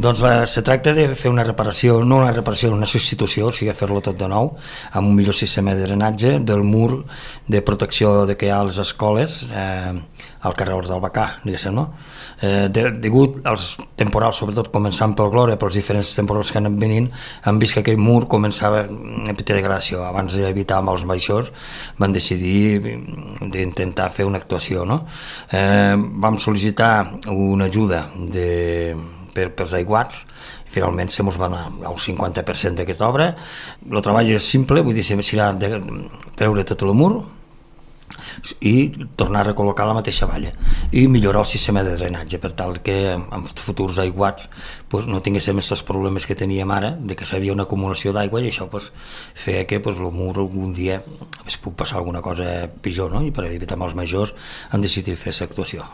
Doncs se tracta de fer una reparació, no una reparació, una substitució, o sigui, fer-lo tot de nou, amb un millor sistema de drenatge del mur de protecció que hi ha a les escoles al carrer del Bacà, diguéssim, no? Degut als temporals, sobretot començant pel Glòria, pels diferents temporals que han anat venint, han vist que aquell mur començava a petita degradació. Abans d'evitar amb els baixos van decidir d'intentar fer una actuació, no? Vam sol·licitar una ajuda pels aiguats, i finalment se mos va anar al 50% d'aquesta obra. El treball és simple, vull dir, serà de treure tot el mur i tornar a recol·locar la mateixa valla i millorar el sistema de drenatge per tal que en futurs aiguats no tinguéssim aquests problemes que teníem ara, de que s'havia una acumulació d'aigua, i això feia que el mur algun dia puc passar alguna cosa pitjor, no? I per evitar mals majors han decidit fer aquesta actuació.